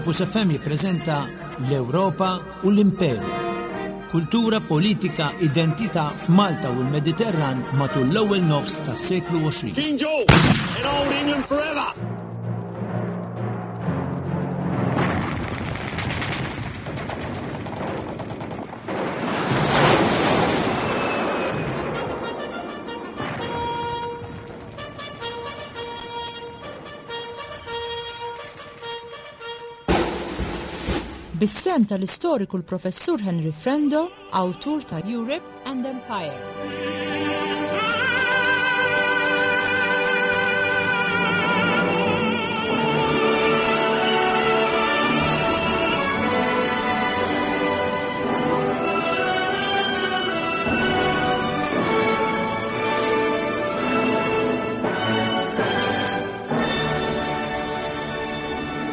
Campus FM jippreżenta l-Ewropa u l-Imperu. Kultura, politika, identità f'Malta u l-Mediterran matul l-ewwel nofs tas-seklu 20. King George in Old England forever! Bis-sehem tal-istoriku l-Professur Henry Frendo, awtur ta' Europe and Empire.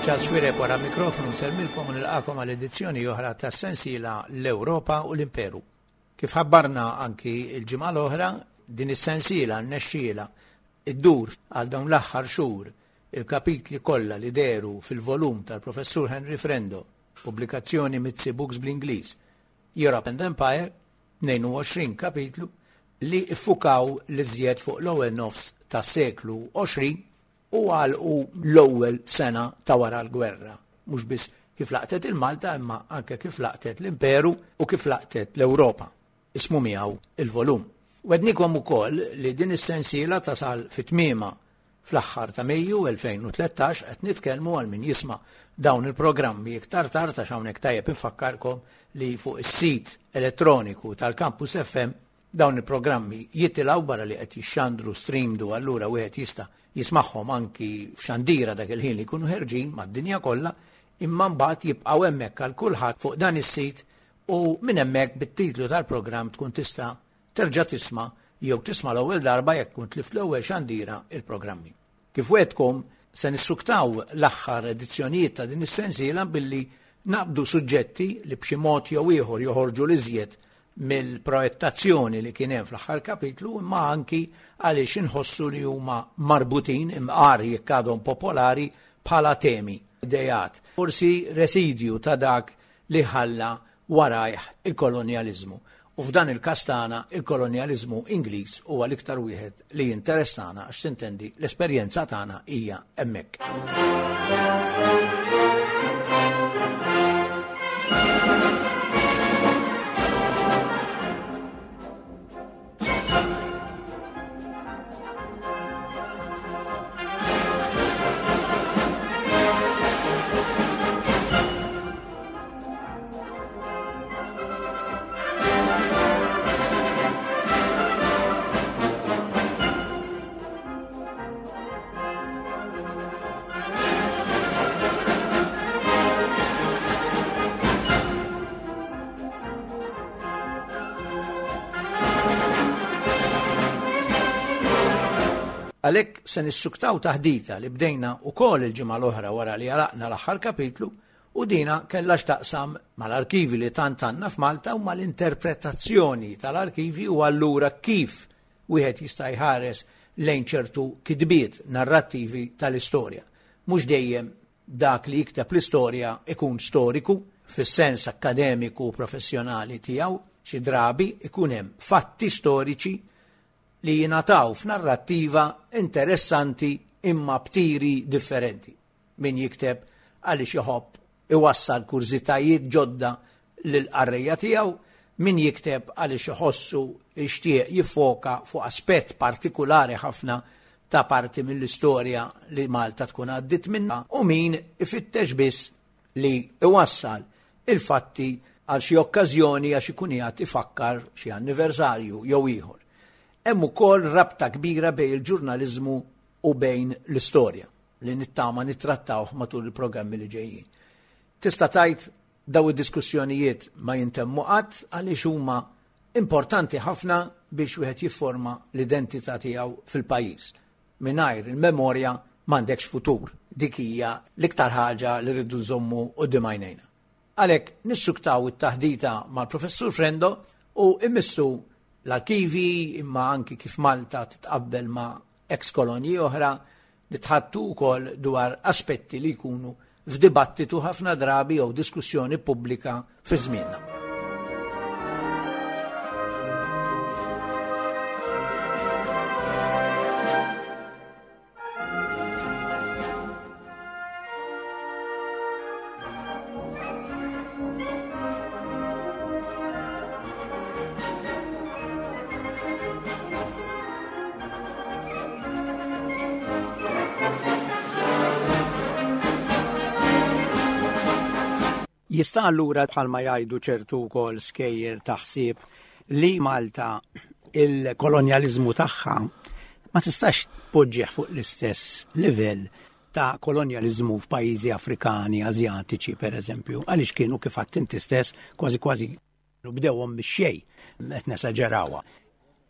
Charles Xuereb wara mikrofonu nsellmilkom u nilqakom għal edizzjoni oħra tas-sensiela L-Ewropa u l-Imperu. Kif ħabbarna anki l-ġimgħa l-oħra, din is-sensiela rnexxielha iddur għal dawn l-aħħar xhur il-kapitli kollha li dehru fil-volum tal-Professur Henry Frendo, pubblikazzjoni Mizzi Books bl-Ingliż, Europe and Empire, 22 kapitlu, li ffukaw l-iżjed fuq l-ewwel nofs tas-seklu 20 u għalqu l-ewwel sena ta' wara l-gwerra, mhux biss kif laqtet il-Malta imma anke kif laqtet l-Imperu u kif laqtet l-Ewropa. Ismu miegħu il-volum. Wednikom ukoll li din is-sensiela tasal fi tmiemha fl-aħħar ta' Mejju 2013 qed nitkellmu għal min jisma' dawn il-programmi iktar tard għax hawnhekk tajjeb infakkarkom li fuq is-sit elettroniku tal-Campus FM dawn il-programmi jitilgħu barra li qed jixxandru streamed u allura wieħed jista' jismagħhom anki f'xandira dak il-ħin li jkunu ħerġin mad-dinja kollha imma mbagħad jibqgħu hemmhekk għal kulħadd fuq dan is-sit u minn hemmhekk bit-titlu tal-programm tkun tista' terġa' tisma' jew tisma' l-ewwel darba jekk tkun tlift l-ewwel xandira il-programmi. Kif wegħdtkom, se nissuktaw l-aħħar edizzjonijiet ta' din is-sensiela billi naqbdu suġġetti li b'xi mod jew ieħor joħorġu l-iżjed mill-projettazzjoni li kien hemm fl-aħħar kapitlu imma anki għaliex inħossu li huma marbutin imqar jekk għadhom popolari bħala temi, ideat, forsi residju ta' dak li ħalla warajh il-kolonjaliżmu. U f'dan il-każ tagħna il-kolonjaliżmu Ingliż huwa l-iktar wieħed li jinteressana għax sintendi l-esperjenza tagħna hija hemmhekk. Għalhekk se nissuktaw taħdita li bdejna wkoll il-ġimgħa l-oħra wara li għalaqna l-aħħar kapitlu u dina kellha x'taqsam mal-arkivi li tant għandna f'Malta u mal-interpretazzjoni tal-arkivi u allura kif wieħed jista' jħares lejn ċertu kitbiet narrattivi tal-istorja. Mhux dejjem dak li jikteb l-istorja ikun storiku fis-sens akkademiku u professjonali tiegħu, xi drabi ikun hemm fatti storiċi li jingħataw f'narrattiva interessanti imma b'tiri differenti. Min jikteb għaliex iħobb iwassal kurżitajiet ġodda lill-qarrejja tiegħu, min jikteb għaliex iħossu jixtieq jiffoka fuq aspett partikulari ħafna ta' parti mill-istorja li Malta tkun għaddiet minnha u min ifittex biss li iwassal il-fatti għal xi okkażjoni għax ikun qiegħed ifakkar xi anniversarju jew ieħor. Hemm ukoll rabta kbira bejn il-ġurnaliżmu u bejn l-istorja li nittama nittrattawh matul il-programmi li ġejjin. Tista' tgħid daw id-diskussjonijiet ma jintemmu qatt għaliex huma importanti ħafna biex wieħed jifforma l-identità tiegħu fil-pajjiż. Mingħajr il-memorja m'għandekx futur. Dik hija l-iktar ħaġa li rridu nżommu quddiem għajnejna. Għalhekk nissuktaw it-taħdita mal-Professur Frendo u immissu l-arkivi imma anki kif Malta titqabbel ma' ex kolonji oħra, nitħaddtu wkoll dwar aspetti li jkunu f'dibattitu ħafna drabi jew diskussjoni pubblika fi żmienna. Jista' allura bħalma jgħidu ċertu wkoll skejjer ta' ħsieb li Malta il-kolonjaliżmu tagħha ma tistax tpoġġih fuq l-istess livell ta' kolonjaliżmu f'pajjiżi Afrikani, Asjatiċi per eżempju, għaliex kienu kif għadt inti stess kważi kważi bdewhom mix-xejn, qed nesaġerawha.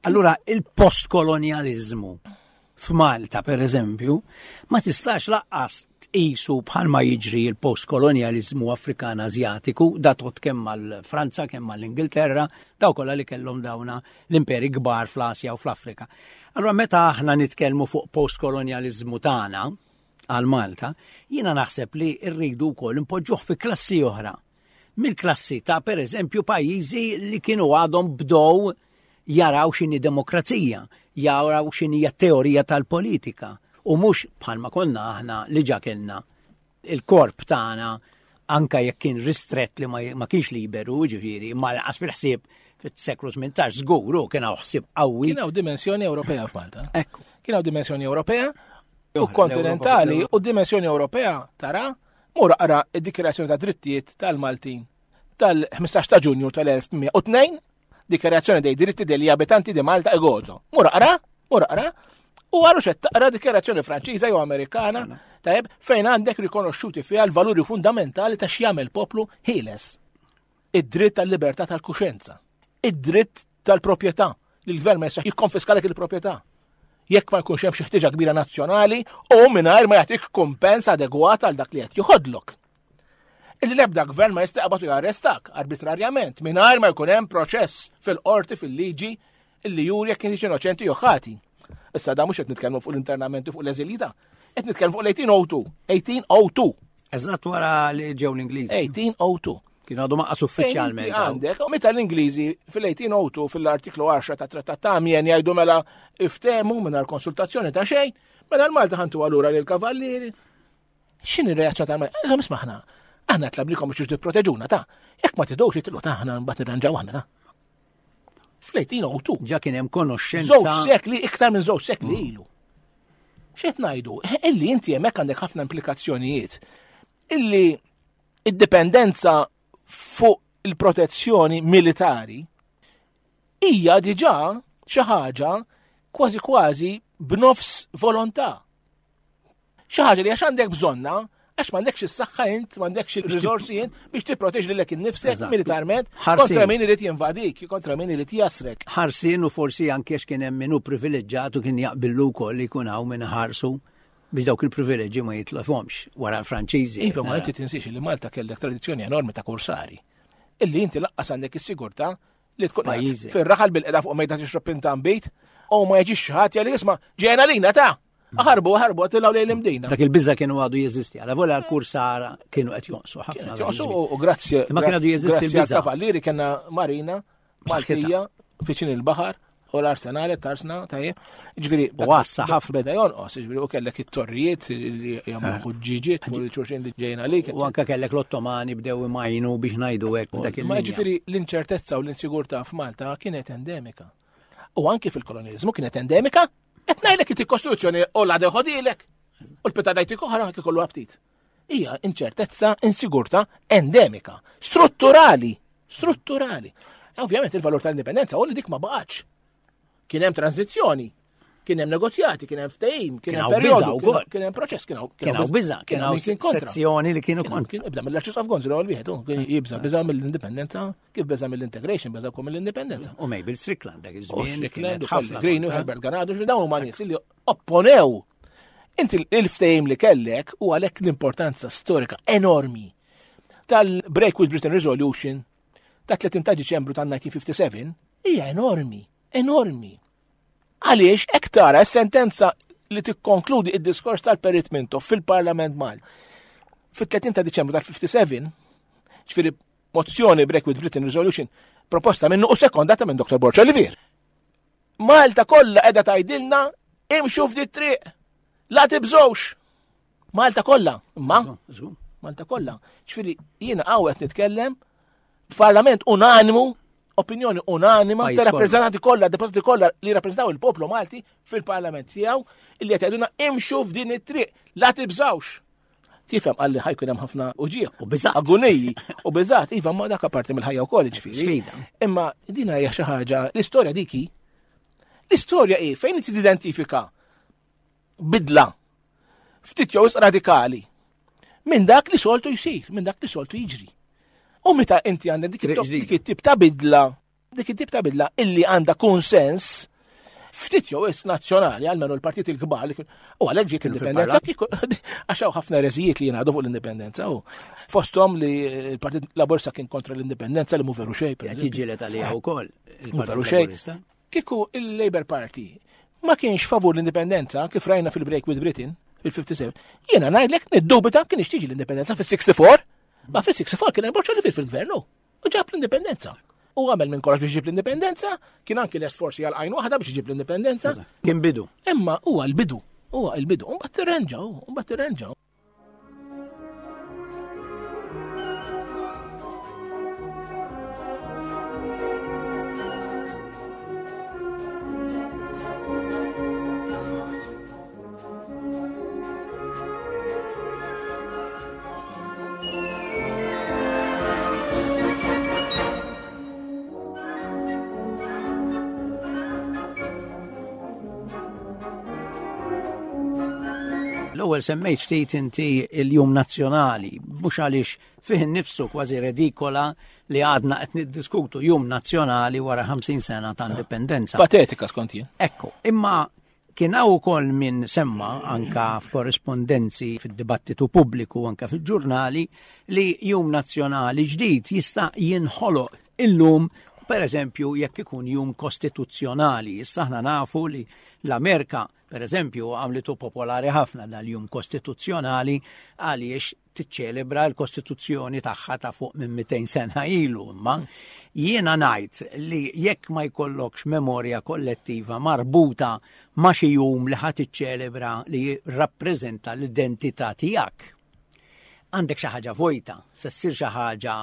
Allura il-postkolonjaliżmu f'Malta per eżempju, ma tistax laqqas tqisu bħalma jiġri l-postkolonjaliżmu Afrikan Asjatiku, da tot kemm mal-Franza, kemm mal-Ingilterra, daw kollha li kellhom dawna l-imperi kbar fl-Asja u fl-Afrika. Allura meta aħna nitkellmu fuq postkolonjaliżmu tagħna għal Malta, jiena naħseb li rridu wkoll impoġġuh fi klassi oħra. Mill-klassi ta' pereżempju pajjiżi li kienu għadhom bdow jaraw x'inhi demokrazija, jaraw x'inhi teorija tal-politika u mhux bħalma konna aħna li ġa kellna il-korp tagħna anka jekk kien ristrett li ma kienx liberu, ġifieri, ma laqas fil-ħsieb fis-seklu 18 żgur kien hawn ħsieb qawwi. Kien hawn dimensjoni Ewropea f'Malta. Ekku. Kien hawn dimensjoni Ewropea u kontinentali u dimensjoni Ewropea tara mur aqra id-dikjarazzjoni ta' drittijiet tal-Maltin tal-15 ta' Ġunju tal-1802 Dikjarazzjoni dei diritti degli abitanti di Malta e Gozo. Mur aqra, mur aqra, u għaru xed taqra dikjarazzjoni Franċiża jew Amerikana, tajjeb, fejn għandek rikonoxxuti fiha l-valuri fundamentali ta' x'jagħmel poplu ħieles. Id-dritt tal-libertà tal-kuxenza, id-dritt tal-proprjetà, li l-gvern ma jistax jikkonfiskalek il-proprjetà. Jekk ma jkunx hemm xi ħtieġa kbira nazzjonali u mingħajr ma jagħtik kumpens adegwat għal dak li qed joħodlok. Illi l-ebda gvern ma jista' jaqbad u jarrestak arbitrarjament mingħajr ma jkun hemm proċess fil-qorti fil-liġi illi juri jekk inti innoċenti jew ħati. Issa da mhux qed nitkellmu fuq l-internamenti fuq l-eżilji qed nitkellmu fuq l-1802. 1802. Eżatt wara li ġew l-Ingliżi. 1802. Kienu għadu maqqas uffiċjalment. Għandek, u meta l-Ingliżi fil-1802 fil-artiklu 10 ta' Trattat ta' Amiens jgħidu mela iftemu mingħajr konsultazzjoni ta' xejn, mela l-Malta ħantu għalura lill-kavallieri, X'inhi r-reazzjoni tal-Malta? Għalhom isma' aħna, aħna tlablikom biex tipproteġuna ta' jekk ma tidux jitilqu ta' aħna mbagħad nirranġaw aħna ta' fl-1802. Ġa kien hemm konoxxenza. Żewġ sekli, iktar minn żewġ sekli mm. ilu. X'qed ngħidu? Illi inti hemmhekk għandek ħafna implikazzjonijiet. Illi id-dipendenza fuq il-protezzjoni militari hija diġà xi ħaġa kważi kważi b'nofs volontà. Xi ħaġa li għax għandek bżonna, għax m'għandekx is-saħħa int, m'għandekx il-riżorsi int biex tipproteġi lilek innifsek militarment kontra min irid jinvadik, kontra min irid jasrek. Ħarsien u forsi anke għax kien hemm min hu privileġġat u kien jaqbillu wkoll li jkun hawn min ħarsu biex dawk il-privileġġi ma jitlefhomx wara l-Franċiżi. Iva, ma inti tinsiex li Malta kellek tradizzjoni enormi ta' kursari. Illi inti laqqas għandek is-sigurtà li tkun fir-raħal bil-qeda fuq mejda tixrob pintan bit u ma jiġix xi ħadd jgħid isma' ġejna lina ta' Ħarbu, ħarbu, għatilaw lejn l-imdina. Dak il-bizza kienu għadu jeżisti, għala vola l-kursara kienu qed jonqsu ħafna. Jonqsu u grazzi. Ma kienu għadu jeżisti l-bizza. Kavallieri kena marina, Maltija, fiċin il-bahar, u l-arsenale, tarsna, tajjeb. Ġifieri, u għassa ħafna. Beda jonqos, ġifieri, u kellek it-torrijiet li jagħmlu eh. ħuġġiġiet fuq il-ċurxin li ġejna għalik. U anke kellek l-Ottomani bdew imajnu biex ngħidu hekk dak il Ma ġifieri l-inċertezza u l-insigurtà f'Malta kienet endemika. U anki fil-kolonializmu kienet endemika Qed ngħidlek inti kostruzzjoni u la deħodilek. U l-pita dajtik oħra anke kollu aptit. Hija inċertezza, insigurta endemika, strutturali, strutturali. E ovvjament il-valur tal-indipendenza u li dik ma baqgħetx. Kien hemm tranzizzjoni, kien hemm negozjati, kien hemm ftehim, kien hemm perjodu, kien hemm proċess, kien hawn biża, kien hawn sezzjoni li kienu kontra. Ibda mill-Arċisqof Gonzi l wieħed, jibża biża mill-indipendenza Kif beża mill-integration, beża wkoll mill-indipendenza. U Mabel Strickland dak iż-żmien. Strickland, u Pellegrini u Herbert Ganado, dawn huma nies li opponew. Inti il-ftehim li kellek u għalhekk l-importanza storika enormi tal-Break with Britain Resolution ta' 30 ta' Diċembru ta' 1957 hija enormi, enormi. Għaliex hekk tara s-sentenza li tikkonkludi id-diskors tal-Perit Mintoff fil-Parlament Mal. Fit-30 ta' Diċembru tal-57, ġifieri mozzjoni Break with Britain Resolution proposta minnu u sekondata minn Dr. Borg Olivier. Malta kollha qiegħda tgħidilna imxu f'di triq. La tibżgħux. Malta kollha, imma Malta kollha. Ġifieri jiena hawn qed nitkellem f'Parlament unanimu, opinjoni unanima ta' rappreżentanti kollha, deputati kollha li rappreżentaw il-poplu Malti fil-Parlament tiegħu illi qed jgħidulna imxu f'din it-triq, la tibżgħux. Tifhem qalli ħajkun hemm ħafna uġieħ. U biżgħat. Agoniji u biżgħat, iva ma dak apparti mill-ħajja wkoll ġifieri. Sfida. Imma din hija xi ħaġa, l-istorja dik hi. L-istorja hi fejn inti tidentifika bidla ftit jew radikali minn dak li soltu jsir, minn dak li soltu jiġri. U meta inti għandek dik it-tip ta' bidla Dik it-tip ta' bidla illi għandha konsens ftit jew is nazzjonali għalmenu l-partit il-kbar u għalhekk ġiet l-indipendenza għax hawn ħafna ereżijiet li jingħadu fuq l-indipendenza u fosthom li l-Partit Laburista kien kontra l-indipendenza li mhu veru xejn. Qed jiġġieled għaliha wkoll il-Partit Laburista. Kieku il-Labour Party ma kienx favur l-indipendenza kif rajna fil-break with Britain fil-57, jiena ngħidlek niddubita kien tiġi l-indipendenza fis-64, ma fis-64 kien hemm Boċċa fil-gvernu. U ġab l-indipendenza. U għamel minn kollox biex ġib l-indipendenza, kien anki lest forsi għal għajn waħda biex ġib l-indipendenza. Kien bidu. Imma huwa l-bidu, huwa l-bidu. Mbagħad tirrenġaw, mbagħad tirrenġaw. L-ewwel semmejt ftit inti il-Jum Nazzjonali, mhux għaliex fih innifsu kważi redikola li għadna qed niddiskutu Jum Nazzjonali wara 50 sena ta' indipendenza. Patetika skont jien. Ekku, imma Kien hawn ukoll min semma anka f'korrispondenzi fid-dibattitu pubbliku anka fil-ġurnali li jum nazzjonali ġdid jista' jinħoloq illum per eżempju jekk ikun jum kostituzzjonali. Issa aħna nafu li l-Amerika per eżempju għamlitu popolari ħafna dal-jum kostituzzjonali għaliex tiċċelebra l-Kostituzzjoni tagħha ta' fuq minn 200 sena ilu, imma jiena ngħid li jekk ma jkollokx memorja kollettiva marbuta ma' xi jum li ħa tiċċelebra li jirrappreżenta l-identità tiegħek, għandek xi ħaġa vojta, se ssir xi ħaġa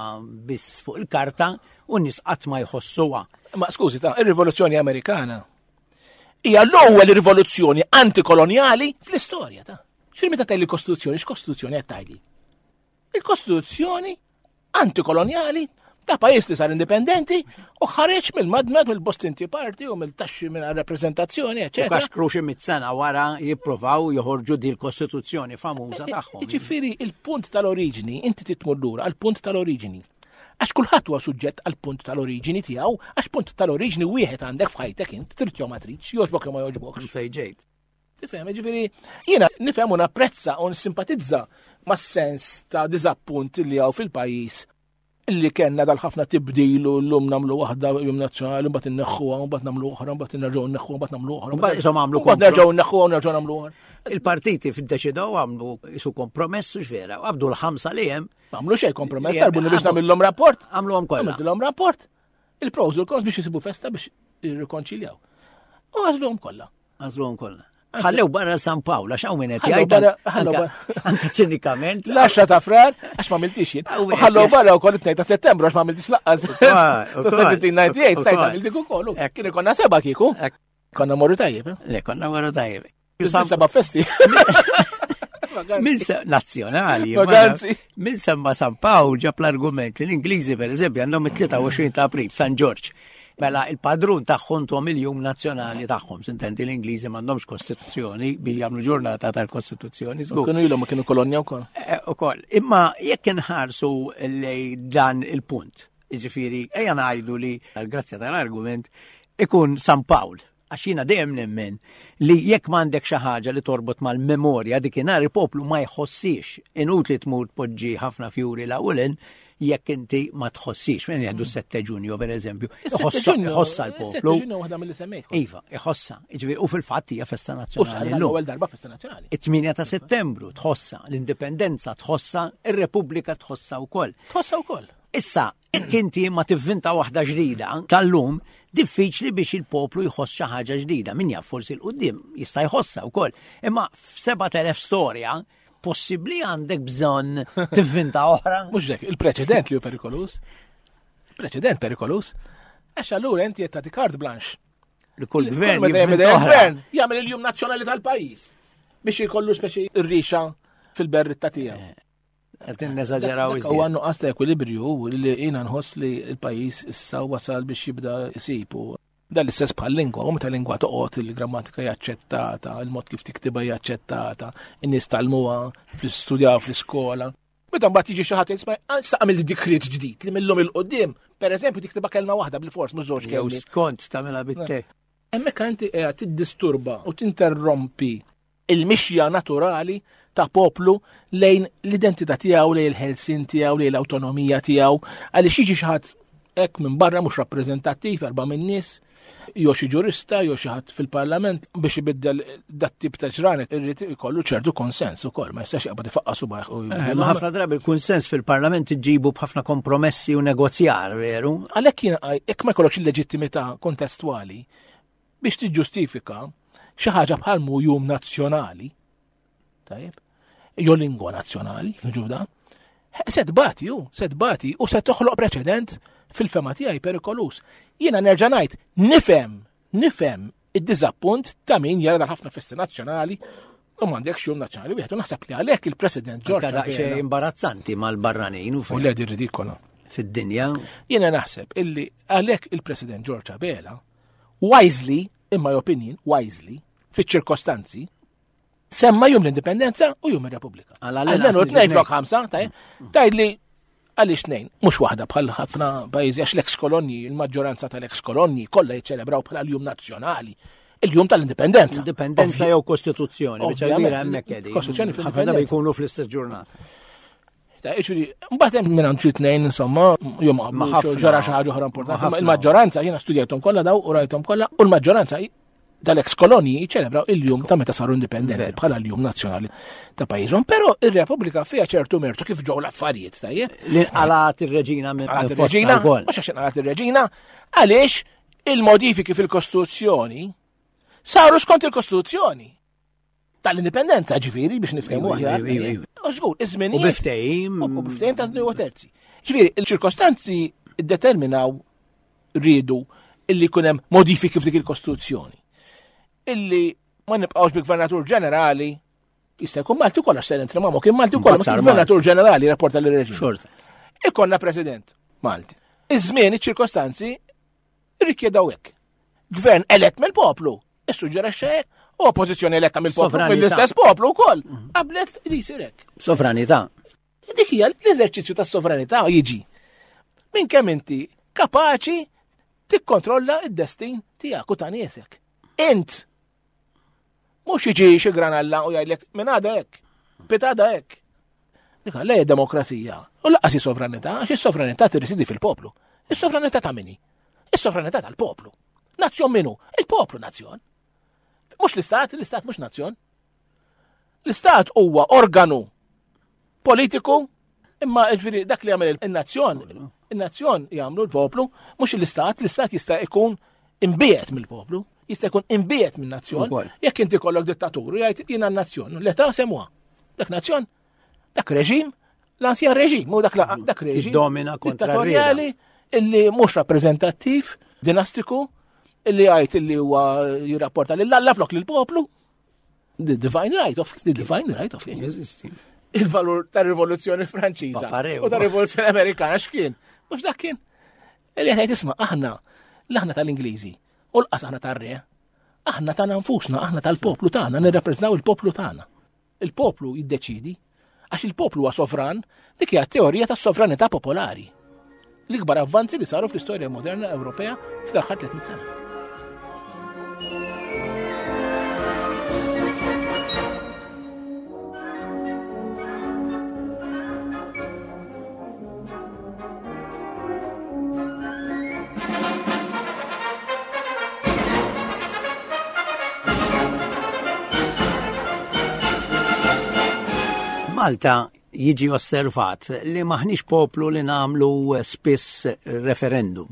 biss fuq il-karta u n-nies qatt ma jħossuha. Ma skużi ta' ir-Rivoluzzjoni Amerikana hija l-ewwel rivoluzzjoni antikolonjali fl-istorja ta' X'fir meta tgħidli kostituzzjoni, x'kostituzzjoni qed tgħidli? Il-kostituzzjoni antikolonjali ta' pajjiż li sar indipendenti u ħareġ mill-madmad mill-Boston Tea Party u mill-taxxi minn rappreżentazzjoni, eċetera. Kaxkru xi mit-sena wara jippruvaw joħorġu di l-kostituzzjoni famuża eh, eh, tagħhom. Jiġifieri il-punt tal-oriġini, inti titmur lura għall-punt tal-oriġini. Għax kulħadd huwa suġġett għal punt tal-oriġini tiegħu, għax punt tal-oriġini wieħed għandek f'ħajtek int, trid jew ma tridx, jogħġbok jew ma jogħġbokx. Fejn ġejt. Tifhem, ġifieri jiena nifhem u napprezza u nissimpatizza mas-sens ta' diżappunt li hawn fil-pajjiż li kellna dal-ħafna tibdil u llum nagħmlu waħda jum nazzjonali mbagħad inneħħuha mbagħad nagħmlu oħra mbagħad nerġgħu nneħħuha mbagħad nagħmlu oħra. Mbagħad isom għamlu mbagħad nerġgħu nneħħuha u nerġgħu nagħmlu oħra. Il-partiti fiddeċidew għamlu isu kompromess u x'vera, għabdu l-ħamsa li hemm. Għamlu xejn kompromess, tarbuni biex nagħmilhom rapport. Għamluhom kollha. Għamilhom rapport. Il-pros u l-cons biex jisibu festa biex jirrikonċiljaw. U għażluhom kollha. Għażluhom kollha. Ħallew barra San Pawl, għax hawn min qed jgħid anke ċinikament. L-10 ta' frar, għax ma miltix jien. U ħallew barra wkoll it-2 ta' Settembru għax ma miltix laqqas. Ta' 1798 stajt għamil dik ukoll. Kien ikonna seba' kieku. Konna morru tajjeb. Eh? Le, konna morru tajjeb. Seba' festi. Min nazzjonali. Min semma San Pawl ġab l-argument li l-Ingliżi per eżempju għandhom it-23 ta' April, San Ġorġ. Mela il-padrun tagħhom tom il-jum nazzjonali tagħhom, sintendi l-Ingliżi m'għandhomx kostituzzjoni billi jagħmlu ġurnata tal-kostituzzjoni. Kienu ilhom ma kienu kolonja wkoll. Eh, ukoll. Imma jekk inħarsu lej dan il-punt, jiġifieri ejja ngħidu li għall-grazzja tal-argument ikun San Pawl. Għax jiena dejjem nemmen li jekk m'għandek xi ħaġa li torbot mal-memorja dikinhar il-poplu ma jħossix. Inutli tmur tpoġġi ħafna fjuri la u jekk inti ma tħossix. Minn jgħidu 7 Ġunju per eżempju. Iħossa l-poplu. waħda mill semmejt. Iva, iħossa. Jiġifieri, u fil-fatt hija festa nazzjonali. L-ewwel darba festa nazzjonali. It-8 ta' Settembru tħossa, l-Indipendenza tħossa, ir-Repubblika tħossa wkoll. Tħossa wkoll. Issa, jekk inti ma tivvinta waħda ġdida tal-lum, diffiċli biex il-poplu jħoss xi ħaġa ġdida. Min jaf forsi l-qudiem jista' jħossha wkoll. Imma f'7000 storja possibbli għandek bżonn tivvinta oħra. Mhux hekk, il-preċedent li hu perikolus. Preċedent perikolus. Għax allura inti qed tagħti carte blanche. Li kull gvern gvern jagħmel il-jum nazzjonali tal-pajjiż biex jkollu speċi r-rixa fil-berritta tiegħu. Eh. Qed neżaġeraw iżjed. Huwa nuqqas ta' ekwilibrju li jiena nħoss li l-pajjiż issa wasal biex jibda jsib u dan l-istess bħal lingwa, u meta lingwa toqgħod il-grammatika hija aċċettata, il-mod kif tiktibha hija aċċettata, in-nies talmuha fl-istudjaw fl-iskola. Meta mbagħad jiġi xi ħadd jisma' ah, issa għamilt dikriet ġdid li millum il-qudiem, pereżempju tiktibha kelma waħda bil-fors mhux żewġ kelmiet. Jew skont tagħmilha bit-te. Hemmhekk inti qiegħed tiddisturba u tinterrompi il-mixja naturali ta' poplu lejn l-identità tiegħu, lejn il-ħelsien tiegħu, lejn l-awtonomija tiegħu, għaliex jiġi xi ħadd hekk minn barra mhux rappreżentattiv erba' minn nies, jew xi ġurista jew xi ħadd fil-parlament biex ibiddel dat tip ta' ġranet irrid ikollu ċertu konsens ukoll, ma jistax jaqbad ifaqqa subajh u eh, Ma ħafna drabi il-kunsens fil-parlament iġibu b'ħafna kompromessi u negozjar, veru? Għalhekk jiena jekk ma jkollokx il-leġittimità kontestwali biex tiġġustifika xi ħaġa bħal mu jum nazzjonali, tajjeb, jew lingwa nazzjonali, ġuda, se tbati ju, se tbati u se toħloq preċedent fil-fema tiegħi perikolus. Jiena nerġa' ngħid, nifhem, nifhem id-diżappunt ta' min jara dal ħafna festi nazzjonali u m'għandekx jum nazzjonali wieħed u naħseb li għalhekk il-President George Daqsxejn imbarazzanti mal-barranin u U le di ridikola. Fid-dinja. Jiena naħseb illi għalhekk il-President George Abela wisely, in my opinion, wisely, fiċ-ċirkostanzi, semma jum l-indipendenza u jum ir-Repubblika. Għalmenu tnejn flok ħamsa, tajt li għaliex tnejn, mhux waħda bħal ħafna pajjiżi għax l-eks kolonji, il-maġġoranza tal-eks kolonji kollha jiċċelebraw bħala l-jum nazzjonali il-jum tal-indipendenza. Indipendenza jew kostituzzjoni, biex kbira hemmhekk qegħdin. Kostituzzjoni ħafna drabi jkunu fl-istess ġurnata. Ġifieri, mbagħad hemm minn xi tnejn insomma, jum ġara xi ħaġa oħra importanti. Il-maġġoranza jiena studjajthom kollha daw u rajthom kollha u l-maġġoranza tal-ex kolonji jiċċelebraw il-jum ta' meta saru indipendenti bħala l-jum nazzjonali ta' pajjiżhom. Però ir-Repubblika fiha ċertu mertu kif ġew l-affarijiet tajjeb. Li nqalat ir-reġina minn ir-reġina, mhux għax inqalat ir-reġina, għaliex il-modifiki fil-Kostituzzjoni saru skont il-Kostituzzjoni. Tal-indipendenza ġifieri biex niftehmu aħjar. U żgur, iż-żmien. U biftehim. U biftehim ta' u terzi. Ġifieri, il-ċirkostanzi ddeterminaw riedu illi jkun hemm modifiki f'dik il-Kostituzzjoni. Illi ma nibqgħux bi gvernatur ġenerali jista' jkun Malti wkoll għax ser ma' kien Malti wkoll ma gvernatur ġenerali rapporta lir-reġim. Xorta. Ikonna president Malti. Iż-żmien iċ-ċirkostanzi rikjedaw hekk. Gvern elett mill-poplu Issuġġerixxa hekk. U oppożizzjoni eletta mill-poplu, mill-istess poplu wkoll. Mhm. Qablet li jsir hekk. Sovranità. Dik hija l-eżerċizzju tas-sovranità jiġi. Minn kemm inti kapaċi tikkontrolla id-destin tiegħek u ta' niesek. Int mhux jiġi xi granalla u jgħidlek minn għada hekk, pitada hekk. Dik għalhekk demokrazija. U laqas sovranità, għax is-sovranità tirrisidi fil-poplu. Is-sovranità ta' minni? Is-sovranità tal-poplu. Nazzjon minu? Il-poplu nazzjon. Mhux l-istat, l-istat mhux nazzjon. L-istat huwa organu politiku imma ġifieri dak li jagħmel in-nazzjon, in-nazzjon jagħmlu l-poplu, mhux l-istat, l-istat jista' jkun imbiet mill-poplu, jista' jkun imbiet minn nazzjon. Jekk inti kollok dittatur jgħid jiena n-nazzjon, l-età semwa. Dak nazzjon Dak reġim, l-ansjan reġim, u dak, dak reġim. Domina kontra dittatorjali illi mhux rappreżentattiv, dinastiku, illi għajt illi huwa jirrapporta lil Alla flok lil poplu. The divine right of the divine right of Jeżisti. Il-valur tar-rivoluzzjoni Franċiża u tar-rivoluzzjoni Amerikana x'kien? Mhux dak kien. Illi qed isma' aħna l-aħna tal-Ingliżi u l-qas aħna tar-re. Aħna tagħna nfusna, aħna tal-poplu tagħna, nirrappreżentaw il-poplu tagħna. Il-poplu jiddeċidi, għax il-poplu huwa sovran, dik hija teorija tas-sovranità popolari. L-ikbar avvanzi li saru fl-istorja moderna Ewropea fl-aħħar 300 sena. F'Malta jiġi osservat li maħniex poplu li nagħmlu spiss referendum.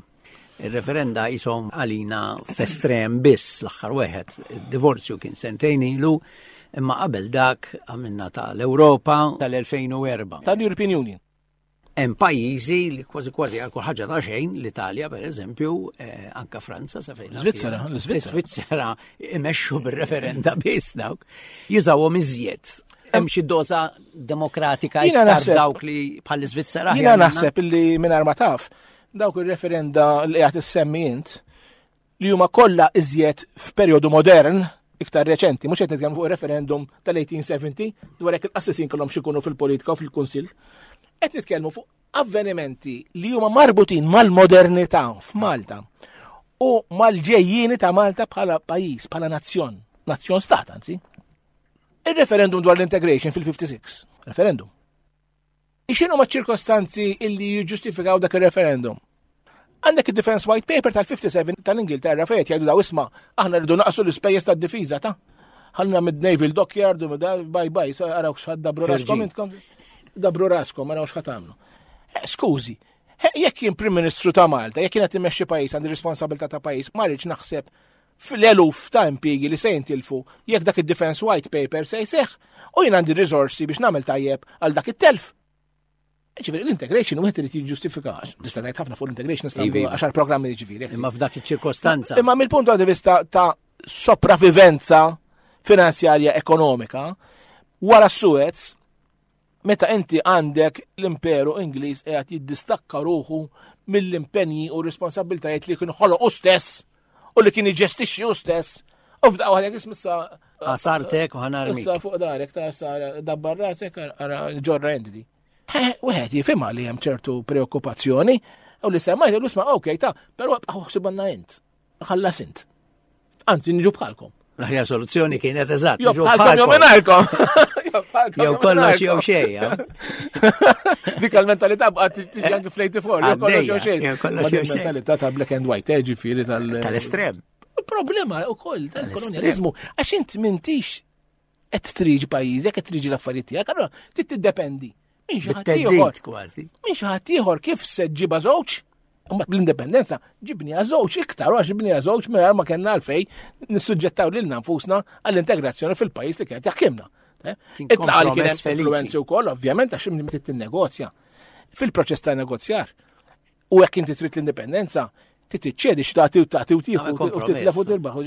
Ir-referenda jisom għalina f'estrem biss l-aħħar wieħed. Id-divorzju kien sentejn ilu, imma qabel dak għamilna tal-Ewropa tal-2004. Tal-European Union. Hemm pajjiżi li kważi kważi għal kull ħaġa ta' xejn, l-Italja pereżempju, eh, anka Franza sa fejn. Svizzera, l-Svizzera. Svizzera imexxu bir-referenda biss dawk. Jużawhom iżjed. Hemm xi doża demokratika iktar dawk li bħall-Iżvizzera. Jiena naħseb illi mingħajr ma taf dawk ir-referenda li qed issemmi int li huma kollha iżjed f'perjodu modern, iktar reċenti, mhux qed nitkellmu fuq referendum tal-1870 dwar jekk il-qassisin kellhom xi fil-politika u fil-kunsill. Qed nitkellmu fuq avvenimenti li huma marbutin mal-modernità f'Malta u mal-ġejjieni ta' Malta bħala pajjiż, bħala nazzjon, nazzjon stat anzi. Il-referendum dwar l-integration fil-56, referendum. X'inhu ma ċirkostanzi illi jiġġustifikaw dak ir-referendum? Għandek id-Defense White Paper tal-57 tal-Ingilterra fejn jgħidu daw isma' aħna rridu naqsu l-ispejjeż tad-difiża ta' ħalna mid-Naval Dockyard u bye bye, araw x'ħad dabru raskom intkom. Dabru raskom, araw x'ħad tagħmlu. Eh, skużi, eh, jekk jien Prim Ministru ta' Malta, jekk jien qed immexxi pajjiż għandi responsabilità ta' pajjiż, ma rridx naħseb fl-eluf ta' impjiegi li se jintilfu jekk dak id-Defense White Paper se jseħħ u jien għandi riżorsi biex nagħmel tajjeb għal dak it-telf. Ġifieri l-integration wieħed irid jiġġustifika, tista' tgħid ħafna fuq l-integration nista' iva, iva. għaxar programmi ġifieri. Imma f'dak iċ-ċirkostanza. Imma mill-punt di vista ta' sopravivenza finanzjarja ekonomika, wara Suez, Meta inti għandek l-Imperu Ingliż qiegħed jiddistakka ruħu mill-impenji u responsabbiltajiet li kien ħoloq hu stess u li kien iġestixxi hu stess u f'daqqa waħda ismissa Għasartek u ħanarmi. Issa fuq darek ta' sara dabbar rasek ara ġorra entity. Wieħed jifhimha li hemm ċertu preokkupazzjoni u li semmajt l isma' okej ta' però ħsibanna int. Ħallas int. Anzi, niġu bħalkom. L-aħjar soluzzjoni kienet eżatt. Jew bħalkom jew mingħajrkom. Jew kollox jew xejn. Dik il-mentalità baqgħet tiġi anke fl-84, jew kollox jew xejn. Jew kollox jew xejn. Mentalità ta' black and white, eh, ġifieri tal- Tal-estrem. Problema wkoll tal-kolonjalizmu għax int m'intix qed triġi pajjiżek, qed triġi l-affarijiet tiegħek, allura trid tiddependi. Minn xi ħadd ieħor. kważi. Minn xi ħadd ieħor kif se ġiba żewġ? Mbagħad bl-indipendenza ġibniha żewġ iktar għax ġibniha żewġ mingħajr ma kellna għalfej nissuġġettaw lilna nfusna għall-integrazzjoni fil-pajjiż li kienet jaħkimna. Eh? Itlaqa li kien hemm influenzi wkoll, ovvjament, għax inti tinnegozja. Fil-proċess ta' negozjar, U jekk inti trid l-indipendenza, trid tiċċedi x'tagħti u tagħti u tieħu u titlef u tirbaħ.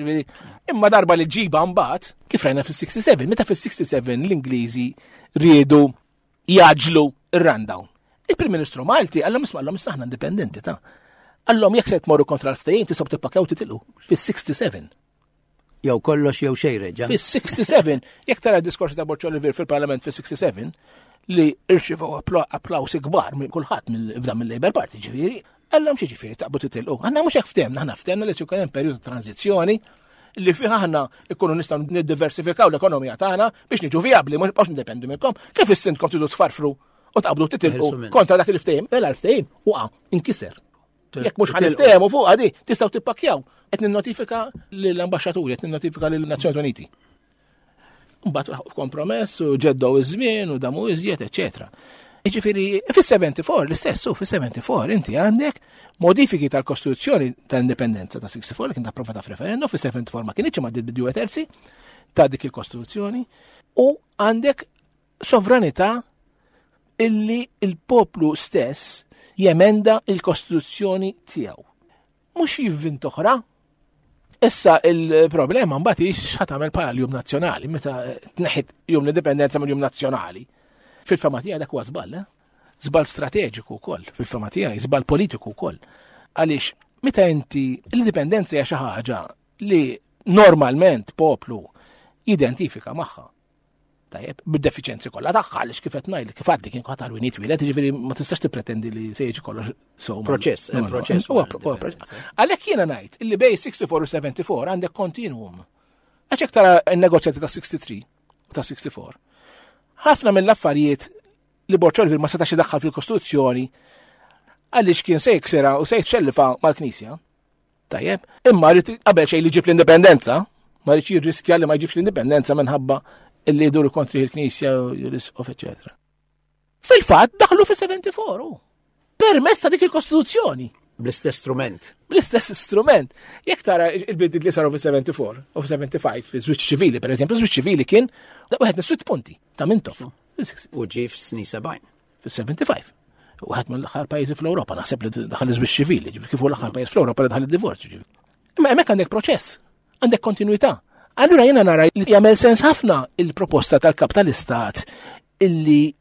Imma darba li ġiba mbagħad, kif rajna fis-67, meta fis-67 l-Ingliżi riedu jaġlu ir-rundown. Il-Prim Ministru Malti għallhom isma' għallhom aħna indipendenti ta' għallhom jekk se tmorru kontra l-ftehim tistgħu tippakjaw titilqu fis-67. Jew kollox jew xejn reġa'. Fis-67, jekk tara d-diskors ta' Borċ Olivier fil-Parlament fis-67, li irċivew applawsi kbar minn kulħadd mill-bda mill-Labour Party ġifieri, għallhom xi ġifieri taqbu titilqu. Aħna mhux hekk ftehmna, aħna ftehmna li se hemm perjodu ta' tranzizzjoni li fih aħna ikunu nistgħu niddiversifikaw l-ekonomija tagħna biex niġu vijabbli, mhux nibqgħux nindependu minnkom. Kif issintkom tridu tfarfru u taqbdu titilqu kontra dak il-ftehim, mela l-ftehim waqa' inkiser. Jekk mhux ħaniftehmu fuq għadi, tistgħu tippakjaw. Qed ninnotifika lill-ambaxxaturi, qed ninnotifika lill-Nazzjonijiet Uniti. Mbagħad kompromess u ġeddew iż-żmien u damu iżjed, eċetera. Jiġifieri fis-74 l-istess, fis-74 inti għandek modifiki tal-Kostituzzjoni tal-Indipendenza ta' 64 li kien approvata f'referendum, fis-74 ma kienx ma bidju terzi ta' dik il-Kostituzzjoni u għandek sovranità illi il-poplu stess jemenda il-Kostituzzjoni tiegħu. Mhux jivvint oħra. Issa il-problema mbagħad hi x'ħa tagħmel bħala l-Jum Nazzjonali meta tneħħit Jum l-Indipendenza mill-Jum Nazzjonali. Fil-fema tiegħi dak huwa żball, eh? Żball strateġiku wkoll, fil-fema tiegħi, żball politiku wkoll. Għaliex meta inti l-indipendenza hija xi ħaġa li normalment poplu jidentifika magħha. Tajjeb, bid-defiċenzi kollha tagħha għaliex kif qed ngħid kif għaddi kien qatt għal twieled, jiġifieri ma tistax tippretendi li se jiġi kollox so. Proċess, proċess. Għalhekk jiena ngħid illi bej 64 u 74 għandek kontinuum. Għax hekk tara n-negozjati ta' 63 u ta' 64. Ħafna mill-affarijiet li Borg Olivier ma setax idaħħal fil-Kostituzzjoni għaliex kien se jiksira u se jċellifa mal-Knisja. Tajjeb, imma rrid qabel xejn li ġib l-indipendenza, ma rridx jirriskja li ma jġibx l-indipendenza minħabba Illi jduru kontri il-Knisja u l-Isqof, eċetera. Fil-fatt daħlu fis-74 permezz ta' dik il-Kostituzzjoni. Bl-istess strument. Bl-istess strument. Jekk tara il-bidliet li saru fis-74 u fis-75, fiż-żwieġ ċivili, per eżempju, żwieġ ċivili kien wieħed mis-sitt punti ta' Mintoff. U ġie fis-snin 70. Fis-75. Wieħed mill-aħħar pajjiżi fl-Ewropa, naħseb li daħal iż-żwieġ ċivili, ġifieri kif hu l-aħħar pajjiż fl-Ewropa li daħal id-divorzju. ġifieri. Imma hemmhekk għandek proċess, għandek kontinwità. Allura jiena nara li jagħmel sens ħafna il-proposta tal-kap tal-istat illi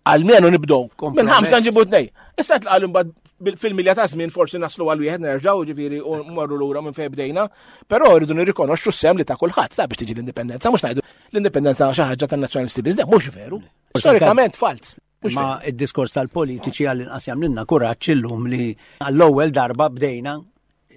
Almenu nibdow. Minn ħamsa nġibu tnej. Issa tqal imbagħad fil-milja ta' żmien forsi naslu għal wieħed nerġgħu ġifieri u mmorru lura minn fejn bdejna, però rridu nirrikonoxxu s-sem li ta' kulħadd ta' biex tiġi l-indipendenza, mhux ngħidu l-indipendenza xi ħaġa tan-nazzjonalisti biss, mhux veru. Storikament falz. Ma id-diskors tal-politiċi għall-inqas jagħmlilna kuraġġ illum li għall-ewwel darba bdejna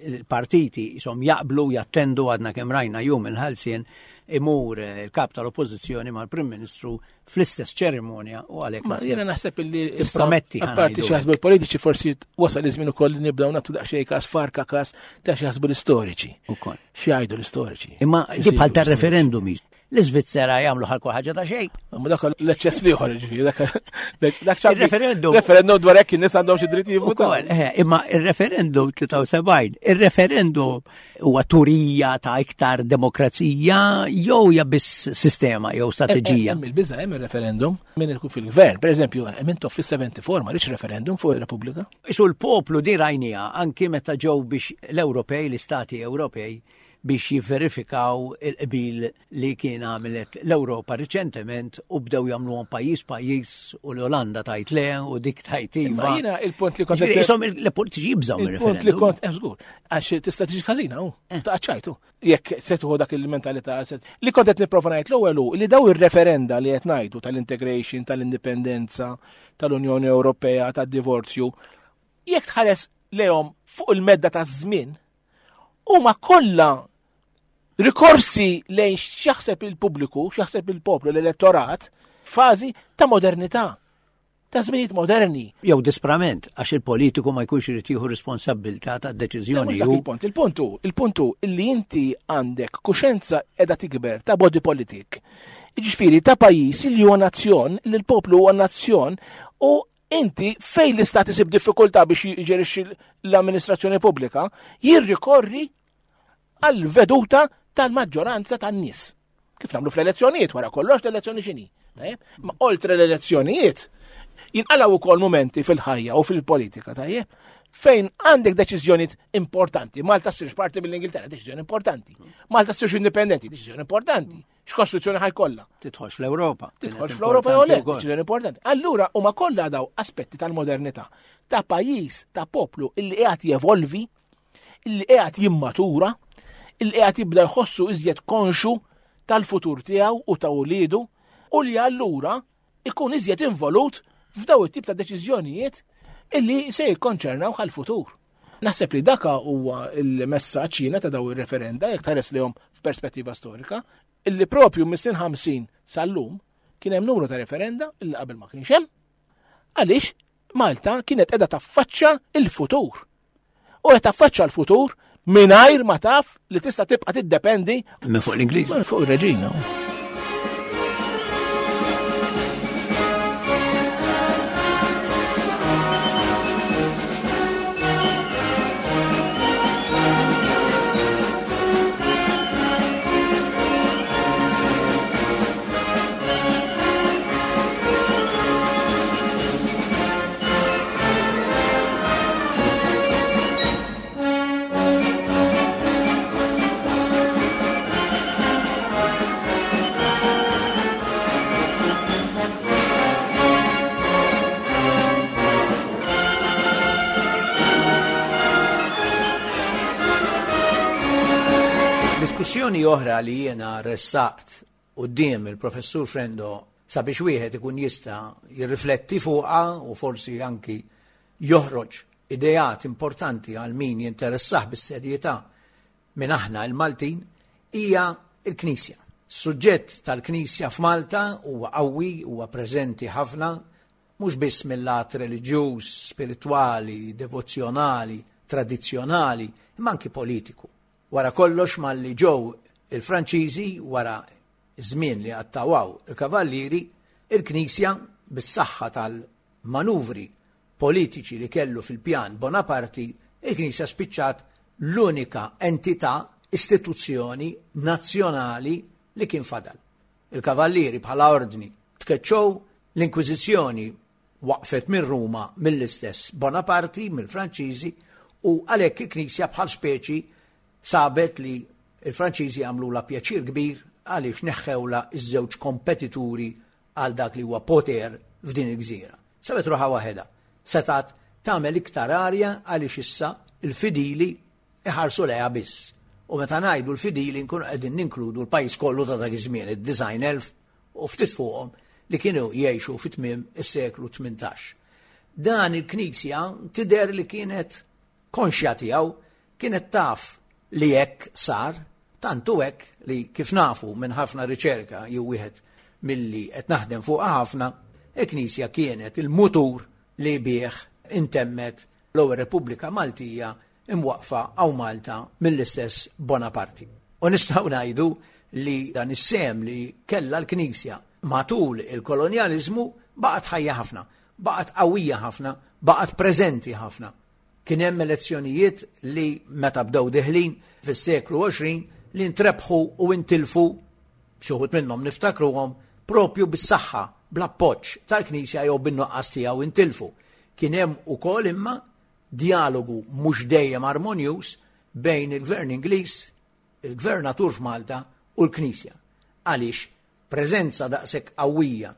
il-partiti jisom jaqblu jattendu għadna kemm rajna jum il-ħalsien imur eh, il-kap tal-oppożizzjoni mal-Prim Ministru fl-istess ċerimonja u għalhekk. Ma jiena naħseb illi tipprometti. Apparti xi jaħsbu l-politiċi forsi wasal iż-żmien ukoll li nibdew nagħtu daqsxejn każ farka każ ta' xi jaħsbu l-istoriċi. Ukoll. Xi jgħidu l-istoriċi. Imma di bħal tar-referendum L-Iżvizzera jagħmlu ħalku ħaġa ta' xejn. Ma dak l-eċċess liħor ġifieri, dak il-referendum. Referendum dwar hekk in-nies għandhom xi dritt jivvutaw. Eh, imma il-referendum 73, il-referendum huwa turija ta' iktar demokrazija jew hija biss sistema jew strateġija. Hemm il-biża' hemm il-referendum min ikun fil-gvern, pereżempju, hemm intom fis-74 ma rridx referendum fuq ir-Repubblika. Isu l-poplu di rajnija anki meta ġew biex l-Ewropej, l-Istati Ewropej biex jivverifikaw il-qbil li kien għamilet l-Ewropa riċentement u bdew jagħmluhom pajjiż pajjiż u l-Olanda tajt le u dik tajt iva. Jiena il-punt li kont Isom il-politiċi jibżgħu mir-referendum. Il-punt li kont eh, żgur għax tista' tiġi każina hu eh. ta' ċajtu. Jekk se tieħu dak il-mentalità li kont qed nipprova ngħid l-ewwel hu li daw ir-referenda li qed ngħidu tal-integration, tal-indipendenza, tal-Unjoni Ewropea, tad-divorzju, jekk tħares lehom fuq il-medda ta' żmien huma kollha rikorsi lejn x'jaħseb il-pubbliku, x'jaħseb il-poplu, l-elettorat, fażi ta' modernità, ta' żminijiet moderni. Jew disprament, għax il-politiku ma jkunx irid jieħu responsabbiltà ta' deċiżjoni. Il-punt, il-punt hu, il-punt hu illi inti għandek kuxenza qiegħda tikber ta' body politik. Jiġifieri ta' pajjiż li huwa nazzjon, li l-poplu huwa nazzjon u Inti fejn l-istat isib diffikultà biex jġerixxi l-amministrazzjoni pubblika, jirrikorri għal veduta tal-maġġoranza tan-nies. Kif nagħmlu fl-elezzjonijiet wara kollox l-elezzjoni x'inhi. Ma oltre l-elezzjonijiet, jinqalgħu wkoll momenti fil-ħajja u fil-politika, tajjeb, fejn għandek deċiżjonijiet importanti. Malta ssirx parti mill-Ingilterra, deċiżjoni importanti. Malta ssirx indipendenti, deċiżjoni importanti. X'kostituzzjoni ħajkollha? Tidħolx fl-Ewropa. Tidħolx fl-Ewropa jew le, deċiżjoni importanti. Allura huma kollha daw aspetti tal-modernità ta' pajjiż, ta' poplu illi qiegħed jevolvi, illi qiegħed jimmatura, illi qiegħed jibda jħossu iżjed konxu tal-futur tiegħu u ta' uliedu u li allura ikun iżjed involut f'daw it-tip ta' deċiżjonijiet illi se jikkonċernaw għal-futur. Naħseb li daka huwa il-messaġġ jiena ta' daw ir-referenda jekk tħares lihom f'perspettiva storika, illi propju mis-snin 50 sal-lum kien hemm numru ta' referenda illi qabel ma kienx hemm. Għaliex Malta kienet qiegħda taffaċċa il-futur. U qed taffaċċa l-futur mingħajr ma taf li tista' tibqa' tiddependi minn fuq l-Ingliż. Minn fuq ir-reġina. Diskussjoni oħra li jiena ressaqt quddiem il-Professur Frendo sabiex wieħed ikun jista' jirrifletti fuqha u forsi anki joħroġ ideat importanti għal min jinteressah bis-serjetà minn aħna l-Maltin hija l-Knisja. Suġġett tal-Knisja f'Malta huwa qawwi, huwa preżenti ħafna, mhux biss mill-lat reliġjuż, spiritwali, devozzjonali, tradizzjonali, imma anki politiku. Wara kollox malli ġew il-Franċiżi wara Iż-żmien li qattgħu hawn il-Kavallieri, il-Knisja, bis-saħħa tal-manuvri politiċi li kellu fil-pjan Bonaparti, il-Knisja spiċċat l-unika entità, istituzzjoni nazzjonali li kien fadal. Il-Kavallieri bħala ordni tkeċċew, l-Inkwiżizzjoni waqfet minn Ruma mill-istess Bonaparti, mill-Franċiżi, u għalhekk il-Knisja bħal speċi sabet li l-Franċiżi għamlulha pjaċir kbir għaliex neħħewlha ż-żewġ kompetituri għal dak li huwa poter f'din il-gżira. Sabet ruħha waħedha. Setgħet tagħmel iktar arja għaliex issa l-fidili iħarsu lejha biss. U meta ngħidu l-fidili nkunu qegħdin ninkludu l-pajjiż kollu ta' dak iż-żmien, id-90,000 u ftit fuqhom li kienu jgħixu fi tmiem is-seklu 18. Dan il-Knisja tidher li kienet konxja tiegħu, kienet taf li hekk sar, tant hu hekk li kif nafu minn ħafna riċerka jew wieħed milli qed naħdem fuqha ħafna, il-Knisja kienet il-mutur li bih intemmet l-ewwel Repubblika Maltija imwaqqfa hawn Malta mill-istess Bonaparti. U nistgħu ngħidu li dan is-sehem li kellha l-Knisja matul il-kolonjaliżmu baqgħet ħajja ħafna, baqgħet qawwija ħafna, baqgħet preżenti ħafna. Kien hemm elezzjonijiet li meta bdew deħlin fis-seklu 20 li ntrebħu u intilfu xi wħud minnhom niftakruhom propju bis-saħħa bl-appoġġ tal-Knisja jew bin-nuqqas tiegħu intilfu. Kien hemm ukoll imma djalogu mhux dejjem armonjuż bejn il-Gvern Ingliż, il-Gvernatur f'Malta u l-Knisja. Għaliex preżenza daqshekk qawwija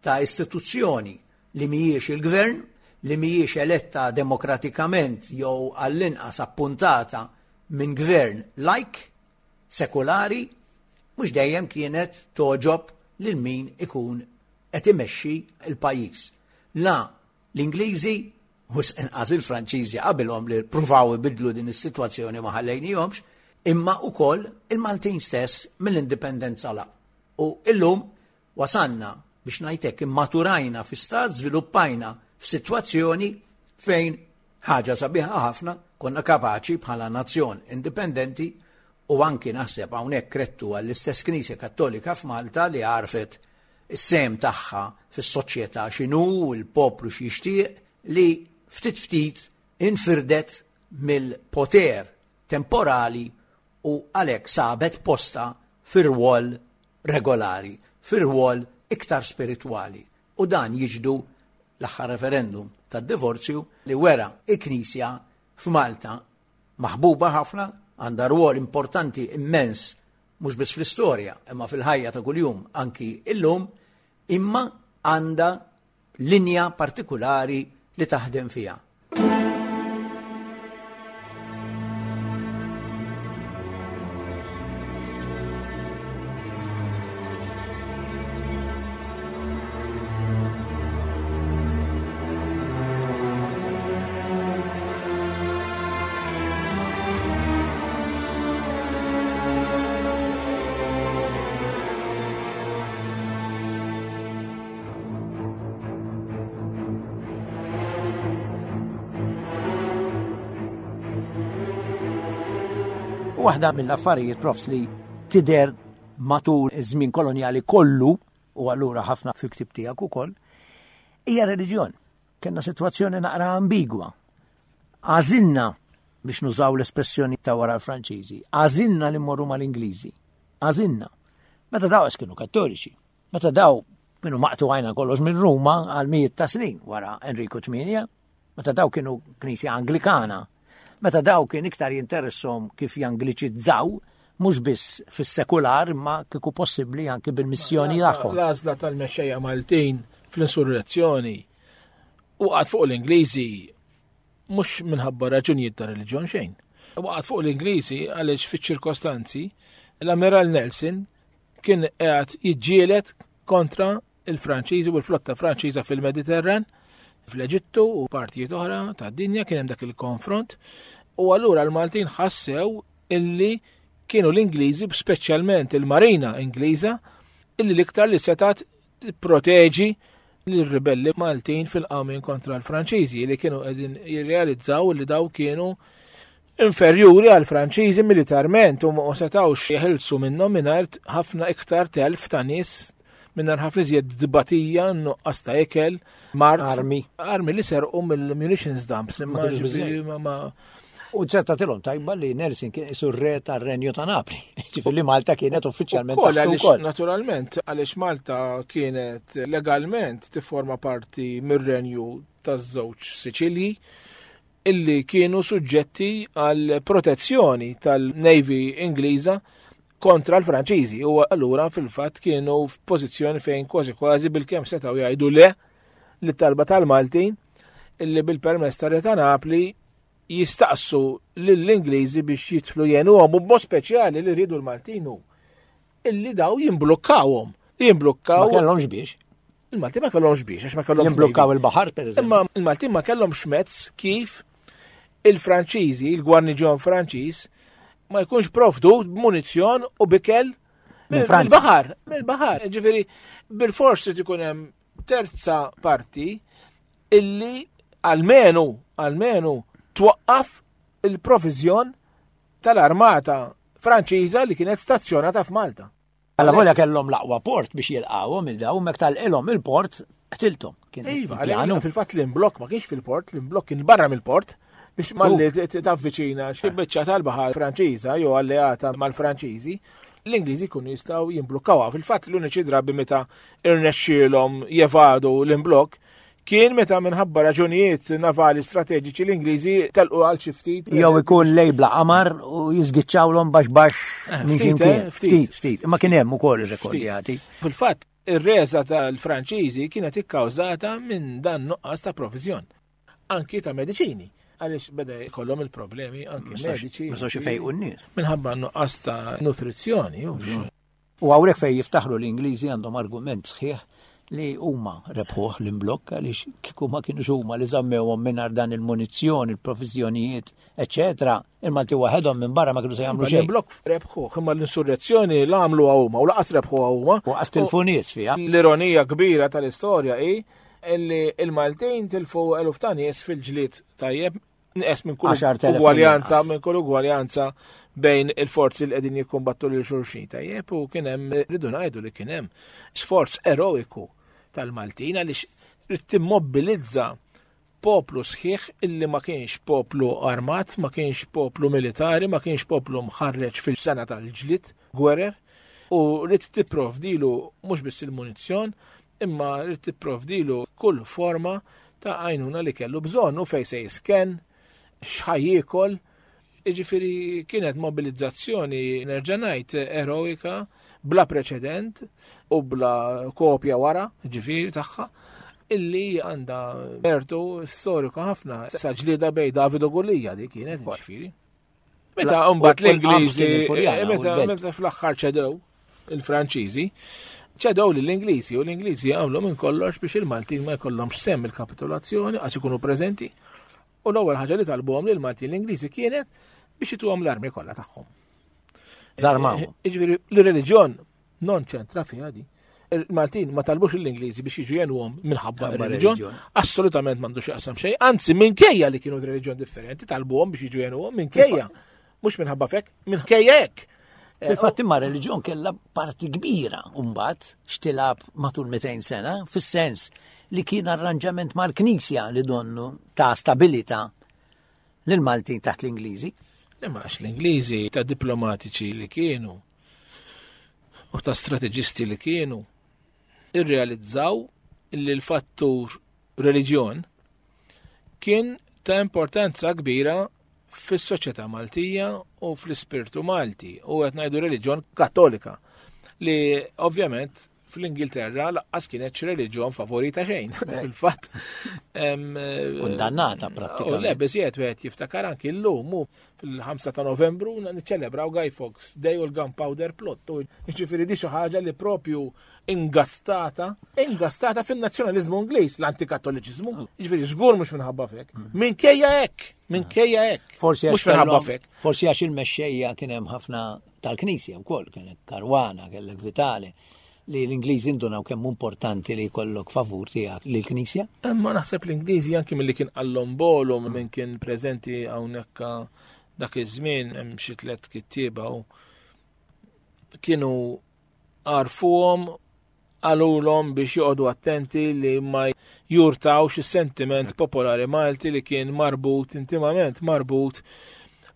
ta' istituzzjoni li mhijiex il-gvern, li mhijiex eletta demokratikament jew għall-inqas appuntata minn gvern lajk, sekulari, mhux dejjem kienet togħġob lil min ikun qed imexxi l-pajjiż. La l-Ingliżi, wisq inqas il-Franċiżi qabilhom li ppruvaw ibiddlu din is-sitwazzjoni ma ħallejnihomx, imma wkoll il-Maltin stess mill-Indipendenza 'l hawn. U illum Wasalna, biex ngħid hekk, immaturajna fi stat, żviluppajna f'sitwazzjoni fejn ħaġa sabiħa ħafna konna kapaċi bħala nazzjon indipendenti u anki naħseb hawnhekk krettu għall-istess Knisja Kattolika f'Malta li għarfet is-sehem tagħha fis-soċjetà x'inhu u l-poplu x'jixtieq li ftit ftit infirdet mill-poter temporali u għalhekk sabet postha fir-rwol regolari, fir-rwol iktar spiritwali. U dan jixhdu l-aħħar referendum tad-divorzju li wera il-Knisja f'Malta maħbuba ħafna, għandha rwol importanti immens mhux biss fl-istorja imma fil-ħajja ta' kuljum anki illum, imma għandha linja partikulari li taħdem fiha. Waħda mill-affarijiet profs li tidher matul iż-żmien kolonjali kollu u allura ħafna fil-ktib tiegħek ukoll hija reliġjon. Kenna sitwazzjoni naqra ambigwa. Għażilna biex nużaw l-espressjoni ta' wara l-Franċiżi, għażilna li mmorru mal-Ingliżi. Għażilna. Meta daw kienu kattoliċi. Meta daw kienu maqtu għajna kollox minn Ruma għal mijiet ta' snin wara Enriku VIII, meta daw kienu knisja Anglikana, meta daw kien iktar jinteressom kif jangliċizzaw, mhux biss fis-sekular imma kieku possibbli anki bil-missjoni tagħhom. L-għażla tal-mexxejja Maltin fl-insurrezzjoni waqgħet fuq l-Ingliżi mhux minħabba raġunijiet ta' reliġjon xejn. Waqgħet fuq l-Ingliżi għaliex fiċ-ċirkostanzi l-Amiral Nelson kien qiegħed jiġġieled kontra il-Franċiżi u l-flotta Franċiża fil-Mediterran, fl-Eġittu u partijiet oħra tad-dinja kien hemm dak il-konfront u allura l-Maltin ħassew illi kienu l-Ingliżi, speċjalment il-Marina Ingliża, illi l-iktar li setat tipproteġi l-ribelli Maltin fil-qawmien kontra l-Franċiżi li kienu qegħdin jirrealizzaw li daw kienu inferjuri għal Franċiżi militarment u ma setgħux jeħilsu minnhom mingħajr ħafna iktar telf ta' nies mingħajr ħafna iżjed dbatija, nuqqas ta' ikel, mart. Armi. Armi li serqu mill-munitions dumps. Ma kienx ma U ċerta tilhom tajba li Nelson kien isu re tar-Renju ta' Napli. Ġifieri li Malta kienet uffiċjalment taħt ukoll. Naturalment, għaliex Malta kienet legalment tifforma parti mir-Renju taż-żewġ Siċilji illi kienu suġġetti għal protezzjoni tal-Navy Ingliża kontra l-Franċiżi u allura fil-fatt kienu f'pożizzjoni fejn kważi kważi bil-kemm setgħu jgħidu le lit-talba tal-Maltin illi bil-permess tar-Re ta' Napli jistaqsu lill-Ingliżi biex jidħlu jgħinuhom u b'mod speċjali li rridu l-Maltin hu illi daw jimblukkawhom. Jimblukkaw. Ma kellhomx biex. Il-Maltin ma kellhomx biex, għax ma kellhomx. Jimblukkaw il-baħar, per eżempju. Imma il-Maltin ma kellhomx mezz kif il-Franċiżi, il-gwarniġjon Franċiż, ma jkunx provdut b'munizzjon u bikel mill-baħar, mill-baħar. Ġifieri bil-fors trid ikun hemm terza parti illi almenu, almenu twaqqaf il-provizjon tal-armata Franċiża li kienet stazzjonata f'Malta. Alla volja kellhom l-aqwa port biex jilqgħuhom il daw mek tal-ilhom il-port qtilthom. Kien iva, pjanu. Fil-fatt l-imblokk ma kienx fil-port, l-imblokk kien barra mill-port biex malli tavviċina xi biċċa tal-baħar Franċiża jew alleata mal-Franċiżi, l-Ingliżi jkunu jistgħu jimblukkawha. Fil-fatt l-uniċi drabi meta irnexxielhom jevadu l-imblokk kien meta minħabba raġunijiet navali strateġiċi l-Ingliżi telqu għal xi ftit. Jew ikun lej bla qamar u jiżgiċċawlhom baxx baxx eh, minn xi eh, ftit, ftit. Imma kien hemm ukoll irrekordjati. Fil-fatt, ir-reża tal-Franċiżi kienet ikkawżata minn dan nuqqas ta' proviżjon. Anki ta' mediċini għaliex beda jkollhom il-problemi anki mediċi. Ma sawx ifejqu n-nies. Minħabba nuqqas ta' nutrizzjoni. U hawnhekk fejn jiftaħru l-Ingliżi għandhom argument sħiħ li huma rebħuh l-imblokk għaliex kieku ma kienux huma li żammewhom mingħajr dan il-munizzjon, il-proviżjonijiet, eċetera, il-Malti waħedhom minn barra ma kienu se jagħmlu xejn. L-imblokk rebħuh, imma l-insurrezzjoni la għamluha huma u laqas rebħuha huma. U qas tilfu nies fiha. L-ironija kbira tal-istorja hi illi il-Maltin tilfu eluf ta' nies fil-ġlied tajjeb Nqes minn kull ugwaljanza, minn kull ugwaljanza bejn il-forzi li qegħdin jikkumbattu lil xulxin tajjeb u kien hemm rridu ngħidu li kien hemm sforz eroiku tal-Maltin għaliex trid timmobilizza poplu sħiħ illi ma kienx poplu armat, ma kienx poplu militari, ma kienx poplu mħarreġ fil-sena tal-ġlit, gwerer, u rrid tipprovdilu mhux biss il-munizzjon, imma rrid tipprovdilu kull forma ta' għajnuna li kellu bżonn u fejn se jisken, x'ħa jiekol. Jiġifieri kienet mobilizzazzjoni nerġa' ngħid eroika bla preċedent u bla kopja wara, ġifieri tagħha, illi għandha mertu storiku ħafna. Sa ġlieda bej David u Gulija di kienet ġifieri. Meta mbagħad l-Ingliżi, eh, meta fl-aħħar ċedew il-Franċiżi, ċedew lill-Ingliżi u l-Ingliżi għamlu minn kollox biex il-Maltin ma jkollhomx sem il-kapitolazzjoni għax ikunu preżenti. U l-ewwel ħaġa li talbuhom lil Maltin l-Ingliżi kienet biex ituhom l-armi kollha tagħhom. Zarmaw. Eh, jiġifieri l-reliġjon non ċentra fiha di. Il-Maltin ma talbux l-Ingliżi biex jiġu jenuhom minħabba reliġjon, assolutament m'għandu x'jaqsam xejn, anzi minkejja li kienu reliġjon differenti talbuhom biex jiġu jenuhom minkejja, mhux minħabba fek, minkejja hekk. Eh, Fil-fatt imma reliġjon kellha parti kbira mbagħad xtilab matul 200 sena, fis-sens li kien arranġament mal-Knisja li donnu ta' stabilità lill-Maltin taħt l-Ingliżi. Le ma l-Ingliżi ta' diplomatiċi li kienu u ta' strateġisti li kienu irrealizzaw li l-fattur reliġjon kien ta' importanza kbira fis-soċjetà Maltija u fl-ispirtu Malti u qed ngħidu reliġjon Kattolika li ovvjament fl-Ingilterra laqqas kienet xi reliġjon favorita xejn. Fil-fatt. Kundannata prattikament. Le, biżjed wieħed jiftakar anki llum fil-5 ta' Novembru niċċelebraw Guy Fawkes Day u l-Gunpowder Plot. Jiġifieri di xi ħaġa li propju ingastata, ingastata fin-nazzjonaliżmu Ingliż, l-antikattoliċiżmu. Jiġifieri żgur mhux minħabba fek. Minkejja hekk, minkejja hekk. Forsi mhux minħabba fek. Forsi għax il-mexxejja kien hemm ħafna tal-Knisja wkoll, kellek Karwana, kellek Vitale li l-Ingliżi ndunaw kemm importanti li jkollok favur tiegħek lill-Knisja? Imma naħseb l-Ingliżi anki milli kien qallhom bolu minn kien preżenti hawnhekk Dak iż-żmien hemm xi tliet kittieba u kienu għarfuhom qalulhom biex joqogħdu attenti li ma jurtawx is-sentiment popolari Malti li kien marbut intimament marbut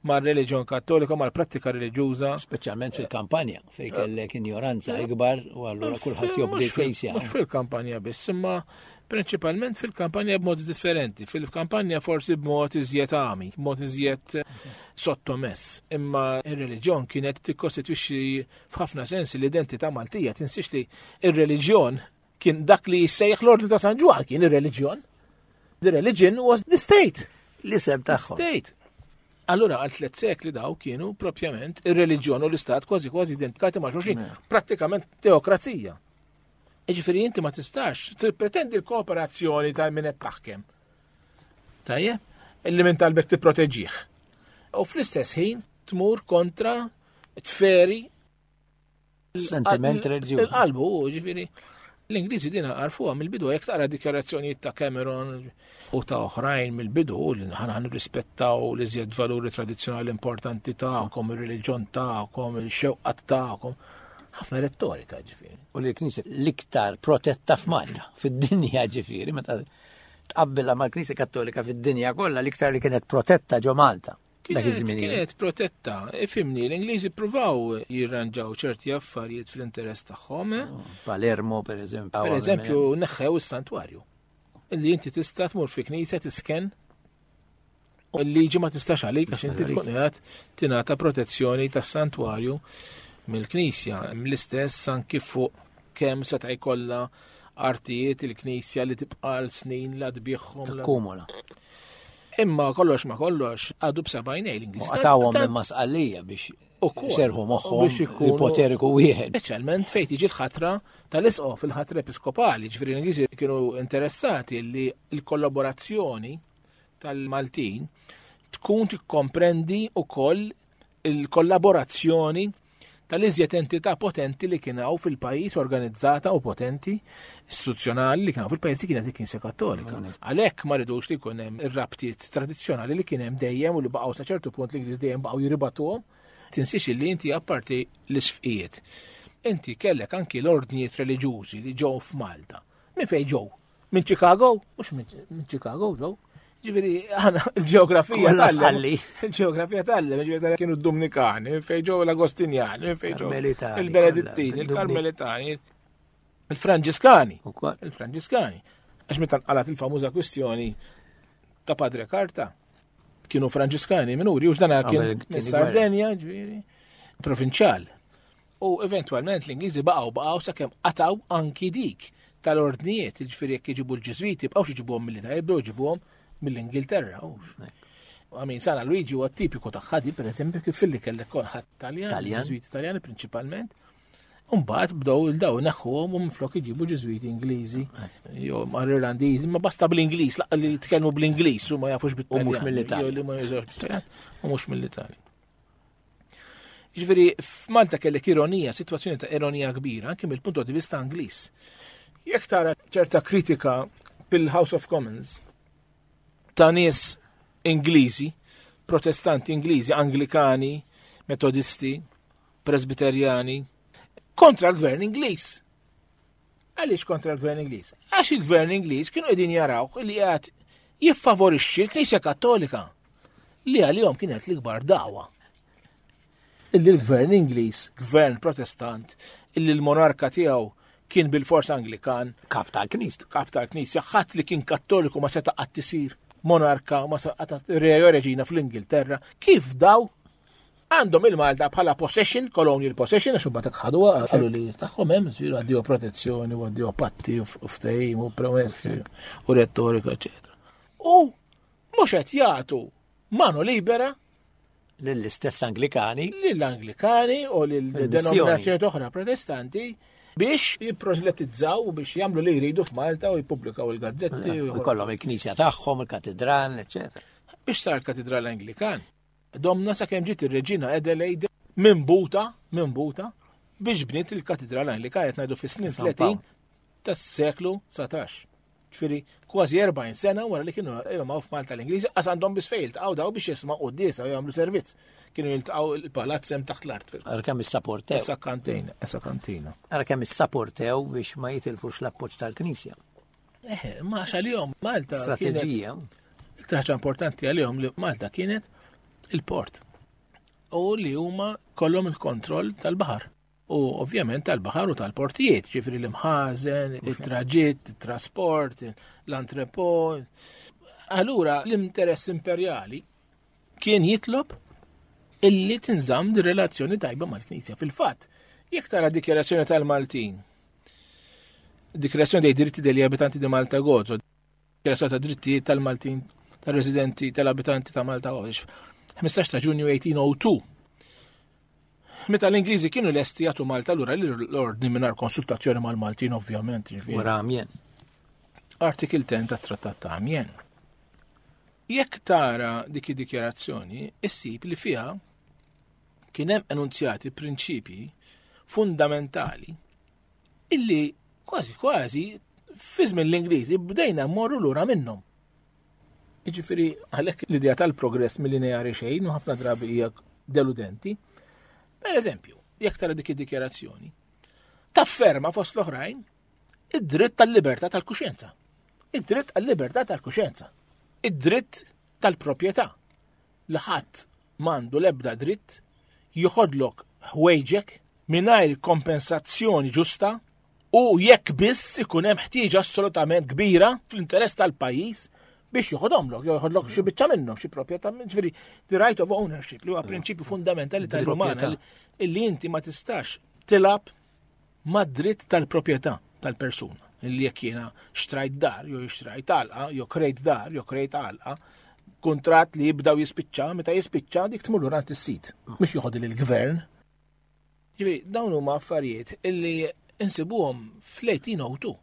mar-reliġjon Kattolika, mal-prattika reliġjuża. Speċjalment fil-kampanja, fejn kellek injoranza ikbar u allura kulħadd jobdi l-Knisja. Mhux fil-kampanja biss, imma prinċipalment fil-kampanja b'mod differenti. Fil-kampanja forsi b'mod iżjed għami, b'mod iżjed sottomess. Imma ir-reliġjon kienet tikkostitwixxi f'ħafna sensi l-identità Maltija. Tinsiex li ir-reliġjon kien dak li jissejjaħ l-Ordni ta' San Ġwann kien ir-reliġjon. The religion was the state. L-isem tagħhom. State. Allura għal tliet sekli daw kienu propjament ir-reliġjon u l-istat kważi kważi identifikati ma' xulxin, pratikament teokrazija. Jiġifieri inti ma tistax tippretendi l-kooperazzjoni ta' min qed taħkem. Tajjeb? Illi minn talbek tipproteġih. U fl-istess ħin tmur kontra tferi sentiment reliġjuż. Il-qalbu, ġifieri l-Ingliżi dina għarfuha mill-bidu jekk taqra dikjarazzjonijiet ta' Cameron u ta' oħrajn mill-bidu li ħana nirrispettaw li żjed valuri tradizzjonali importanti tagħkom, ir-reliġjon tagħkom, il-xewqat tagħkom. Ħafna rettorika ġifieri. U li l-Knisja l-iktar protetta f'Malta, fid-dinja ġifieri, meta tqabbilha mal-Knisja Kattolika fid-dinja kollha l-iktar li kienet protetta ġo Malta. Dak iż-żmien. Kienet protetta, ifimni, l-Ingliżi pruvaw jirranġaw ċerti affarijiet fl-interess tagħhom. Eh? Oh, Palermo, per eżempju. Per eżempju, neħħew is-santwarju. Illi inti tista' tmur fi knisja tisken U l-liġi ma tistax għalik għax inti tkun qiegħed tingħata protezzjoni tas-santwarju mill-Knisja. L-istess anki fuq kemm seta' jkollha artijiet il-Knisja li tibqa' l snin la tbieħhom. Takkumula. Imma kollox ma kollox għadu b'sebgħinej l-Ingliż. Għatawhom minn masqallija biex serħu moħħhom il-poteriku wieħed. Speċjalment fejn tiġi l-ħatra tal-isqof, il-ħatra episkopali, ġifieri l-Ingliżi kienu interessati li l-kollaborazzjoni tal-Maltin tkun tikkomprendi wkoll il-kollaborazzjoni tal-iżjed entità potenti li kien hawn fil-pajjiż organizzata u potenti istituzzjonali li kien hawn fil-pajjiż li kienet il-Knisja Kattolika. Għalhekk ma ridux li jkun hemm ir-rabtiet tradizzjonali li kien hemm dejjem u li baqgħu sa ċertu punt l-Ingliż dejjem baqgħu jiribatuhom. Tinsiex li inti apparti l-isfqijiet. Inti kellek anki l-ordnijiet reliġjużi li ġew f'Malta. Minn fejn ġew? Minn Chicago? Mhux minn Chicago ġew. Ġifieri aħna l-ġeografija tal Il-ġeografija tal ġifieri kienu d-Dominikani, fejn ġew l-Agostinjani, fejn ġew il-Benedittini, il-Karmelitani, il-Franġiskani. Il-Franġiskani. Għax meta nqalat il-famuża kwistjoni ta' Padre Carta, kienu Franġiskani minuri, u x'dana kien Sardenja, ġifieri, provinċjal. U eventwalment l-Ingliżi baqgħu baqgħu sakemm qatgħu anki dik tal-ordnijiet, jiġifieri jekk iġibu l-Ġiżwiti bqgħux iġibuhom mill-Italja, jibdew iġibuhom mill-Ingilterra. Għamin, Sana Luigi huwa tipiku ta' ħadi, per eżempju, kif filli kellek kolħat Taljan, Ġiżwiti Taljani prinċipalment. Umbagħad bdew il-daw neħħuhom u minflok iġibu Ġiżwiti Ingliżi, jew mar Irlandiżi, ma basta bl-Ingliż, laqqa li jitkellmu bl-Ingliż u ma jafux bit-Taljan. U mhux mill-Italja. Jew li ma jużawx bit-Taljan u mhux mill-Italja. Ġifieri f'Malta kellek ironija, sitwazzjoni ta' ironija kbira, anke mill-punt di vista Ingliż. Jekk tara ċerta kritika bil-House of Commons ta' nies Ingliżi, protestanti Ingliżi, Anglikani, Metodisti, Presbiterjani, kontra l-gvern Ingliż. Għaliex kontra l-gvern Ingliż? Għax il-gvern Ingliż kienu qegħdin jaraw li qed jiffavorixxi l-Knisja Kattolika li għalihom kienet l-ikbar dawa. Illi l-gvern Ingliż, gvern Protestant, illi l-monarka tiegħu kien bil-forsa Anglikan. Kap tal-Knisja. Kap tal-Knisja, ħadd li kien Kattoliku ma seta' qatt isir monarka, ma seta' re jew reġina fl-Ingilterra. Kif daw Għandhom il-Malta bħala possession, colonial possession, għax imbagħad ħaduha qalu li tagħhom hemm, ġifieri għaddiju protezzjoni u għaddiju patti u ftehim u promessi u rettorika, eċetera. U mhux qed jagħtu mano libera lill-istess Anglikani. Lill-Anglikani u lill-denominazzjoni oħra protestanti biex jipprożletizzaw u biex jagħmlu li jridu f'Malta u jippubblikaw il-gazzetti. U jkollhom il-knisja tagħhom, il-katedral, eċetera. Biex sar katedral Anglikan. Domna sakemm ġiet ir-Reġina Adelaide minn buta, minn buta, biex bniet il-katedral Anglika qed ngħidu fis-snin 30 tas-seklu 19. Ġifieri kważi 40 sena wara li kienu jgħu f'Malta l-Ingliżi qas għandhom biss fejn jiltaqgħu daw biex jisma' quddiesa u jagħmlu servizz. Kienu jiltaqgħu il-palazz hemm taħt l-art. Ara kemm issaportew. Issa kantina, issa kantina. Ara kemm issaportew biex ma jitilfux l-appoġġ tal-Knisja. Eh, ma għax għalihom Malta. Strateġija. Iktar ħaġa importanti għalihom li Malta kienet il-port. U li huma kollhom il-kontroll tal-baħar. U ovvjament tal-baħar u tal-portijiet, ġifri l-imħazen, il-traġitt, il-trasport, l-antrepo. Allura l-interess imperjali kien jitlob illi tinżamm di relazzjoni tajba mal-Knisja. Fil-fatt, jekk tara dikjarazzjoni tal-Maltin, dikjarazzjoni dei diritti degli abitanti di Malta Gozo, dikjarazzjoni ta' drittijiet tal-Maltin, tal-residenti, tal-abitanti ta' Malta Gozo, 15 ta' Ġunju 1802. Meta l-Ingliżi kienu lesti jagħtu Malta lura l-ordni mingħajr konsultazzjoni mal-Maltin ovvjament. Wara Amiens. Artikel 10 tat-Trattat ta' Amiens. Jekk tara dik id-dikjarazzjoni, issib li fiha kien hemm enunzjati prinċipji fundamentali illi kważi kważi fi żmien l-Ingliżi bdejna mmorru lura minnhom. Jiġifieri għalhekk l-idea tal-progress mill-lineari xejn u ħafna drabi hija deludenti. Per eżempju, jekk tara dik id-dikjarazzjoni, tafferma fost l-oħrajn id-dritt tal-libertà tal-kuxjenza. Id-dritt għal-libertà tal-kuxjenza. Id-dritt tal-proprjetà. Li ħadd m'għandu l-ebda dritt joħodlok ħwejġek mingħajr kompensazzjoni ġusta u jekk biss ikun hemm ħtieġa assolutament kbira fl-interess tal-pajjiż biex joħodhomlok, jew joħodlok xi biċċa minnhom, xi proprjetà, ġifieri the right of ownership li huwa prinċipju fundamentali tal-umana illi inti ma tistax tilab mad-dritt tal-proprjetà tal-persuna. Illi jekk jiena xtrajt dar, jew xtrajt għalqa, jew krejt dar, jew krejt għalqa, kuntratt li jibda u jispiċċa, meta jispiċċa dik tmur lura is-sit, mhux joħod il-gvern. Ġifieri dawn huma affarijiet illi insibuhom fl-1802.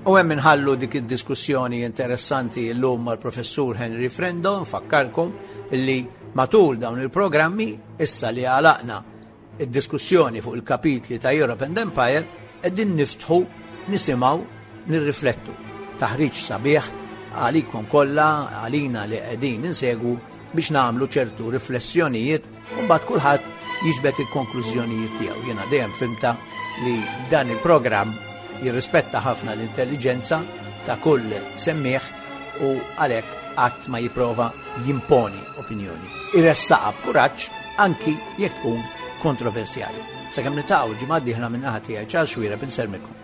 U hemm inħallu dik id-diskussjoni interessanti llum mal-professur Henry Frendo, nfakkarkom li matul dawn il-programmi issa li għalaqna Id-diskussjoni fuq il-kapitli ta' Europe and Empire qegħdin niftħu, nisimgħu, nirriflettu. Taħriġ sabiħ għalikom kollha, għalina li qegħdin insegwu biex nagħmlu ċertu riflessjonijiet u mbagħad kulħadd jiġbed il-konklużjonijiet tiegħu. Jiena dejjem fimta li dan il-programm jirrispetta ħafna l-intelligenza ta' kull semmieħ u għalhekk qatt ma jipprova jimponi opinjoni. Iressaqha b'kuraġġ anki jekk tkun kontroversjali. Sakemm nitaqgħu ġimgħa dieħla minn naħa tiegħi Charles Xuereb insellmilkom.